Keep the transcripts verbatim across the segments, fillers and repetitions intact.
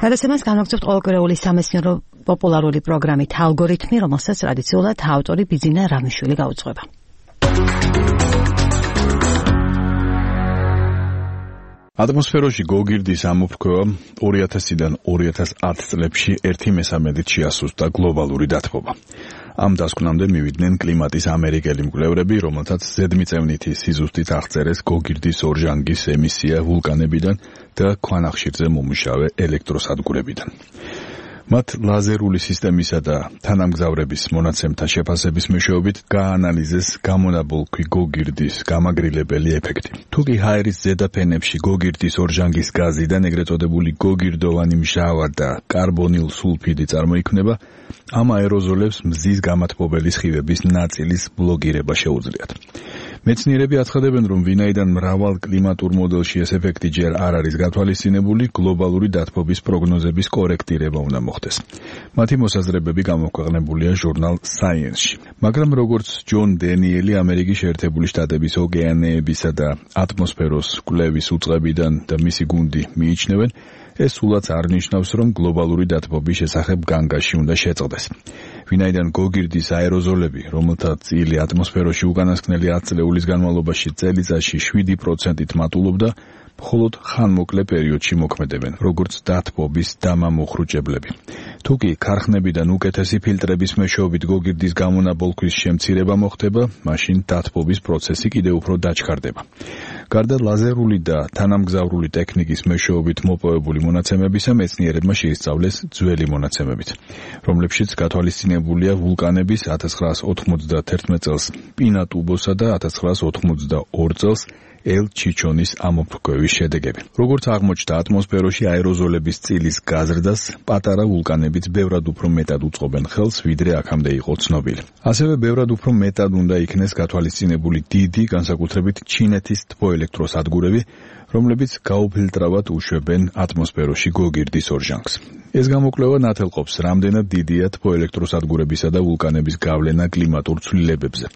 გადაცემას განაგრძობთ ყოველკვირეული სამეცნიერო პოპულარული პროგრამით ალგორითმი, რომელსაც ტრადიციულად ავტორი ბიძინა რამიშვილი გაუძღვება. ატმოსფეროში გოგირდის ამოფრქვევამ ორი ათასიდან ორი ათას ათი წლებში ერთი მესამედით შეასუსტა გლობალური დათბობა. ამ დასკვნამდე მივიდნენ კლიმატის ამერიკელი მკვლევრები, რომელთაც ზედმიწევნითი სიზუსტით აღწერეს გოგირდის ორჟანგის ემისია ვულკანებიდან და ქვანახშირზე მომუშავე ელექტროსადგურებიდან. მათ ლაზერული სისტემისა და თანამგზავრების მონაცემთა შეფასების მეშვეობით გაანალიზეს გამონაბოლქვი გოგირდის გამაგრილებელი ეფექტი. თუკი ჰაერის ზედა ფენებში გოგირდის ორჟანგის გაზიდან ეგრეთ წოდებული გოგირდოვანი მჟავა და კარბონილ სულფიდი წარმოიქმნება, ამ აეროზოლებს მზის გამათბობელი სხივების ნაწილის ბლოკირება შეუძლიათ. მეცნიერები აცხადებენ, რომ ვინაიდან მრავალ კლიმატურ მოდელში ეს ეფექტი ჯერ არ არის გათვალისწინებული, გლობალური დათბობის პროგნოზების კორექტირება უნდა მოხდეს. მათი მოსაზრებები გამოქვეყნებულია ჟურნალ Science-ში. მაგრამ როგორც ჯონ დენიელი ამერიკის შეერთებული შტატების ოკეანეებისა და ატმოსფეროს კვლევის უწყებიდან და მისი გუნდი მიიჩნევენ, ეს სულაც არ ნიშნავს, რომ გლობალური დათბობის შესახებ განგაში უნდა შეწყდეს. ვინაიდან გოგირდის აეროზოლები, რომელთა წილი ატმოსფეროში უკანასკნელი ათი წლეულის განმავლობაში წელიწადში შვიდი პროცენტით მატულობდა, მხოლოდ ხანმოკლე პერიოდში მოქმედებენ, როგორც დათბობის დამამოხრუჭებლები. თუკი ქარხნებიდან უკეთესი ფილტრების მეშვეობით გოგირდის გამონაბოლქვის შემცირება მოხდება, მაშინ დათბობის პროცესი კიდევ უფრო დაჩქარდება. გარდა ლაზერული და თანამგზავრული ტექნიკის მეშვეობით მოპოვებული მონაცემებისა, მეცნიერებმა შეისწავლეს ძველი მონაცემებით, რომლებშიც გათვალისწინებულია ვულკანების ათას ცხრაას ოთხმოცდათერთმეტ წელს პინატუბოსა და ათას ცხრაას ოთხმოცდაორი წელს ელ-ჩიჩონის ამოფრქვევის შედეგები. როგორც აღმოჩნდა, ატმოსფეროში აეროზოლების წილის გაზრდას პატარა ვულკანებიც ბევრად უფრო მეტად უწყობენ ხელს, ვიდრე აქამდე იყო ცნობილი. ასევე ბევრად უფრო მეტად უნდა იქნეს გათვალისწინებული დიდი, განსაკუთრებით ჩინეთის თბოელექტროსადგურები, რომლებიც გაუფილტრავად უშვებენ ატმოსფეროში გოგირდის ორჟანგს. ეს გამოკვლევა ნათელყოფს, რამდენად დიდია თბოელექტროსადგურებისა და ვულკანების გავლენა კლიმატურ ცვლილებებზე.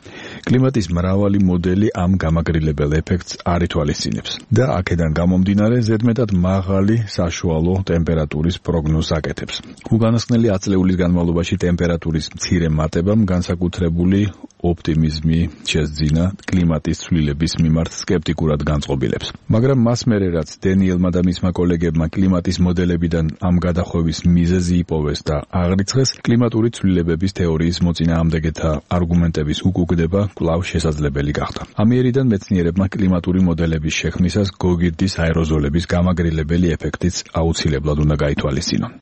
კლიმატის მრავალი მოდელი ამ გამაგრილებელ ეფექტს არ ითვალისწინებს და აქედან გამომდინარე ზედმეტად მაღალი საშუალო ტემპერატურის პროგნოზს აკეთებს. უკანასკნელი ათი წლეულის განმავლობაში ტემპერატურის მცირე მატებამ განსაკუთრებული ოპტიმიზმი შესძინა კლიმატის ცვლილების მიმართ სკეპტიკურად განწყობილებს. მაგრამ მას მერე რაც დენიელმა და მისმა კოლეგებმა კლიმატის მოდელებიდან ამ გადახვევის მიზეზი იპოვეს და აღრიცხეს, კლიმატური ცვლილებების თეორიის მოწინააღმდეგეთა არგუმენტების უკუგდება კვლავ შესაძლებელი გახდა. ამიერიდან მეცნიერებმა კლიმატური მოდელების შექმნისას გოგირდის აეროზოლების გამაგრილებელი ეფექტიც აუცილებლად უნდა გაითვალისწინონ.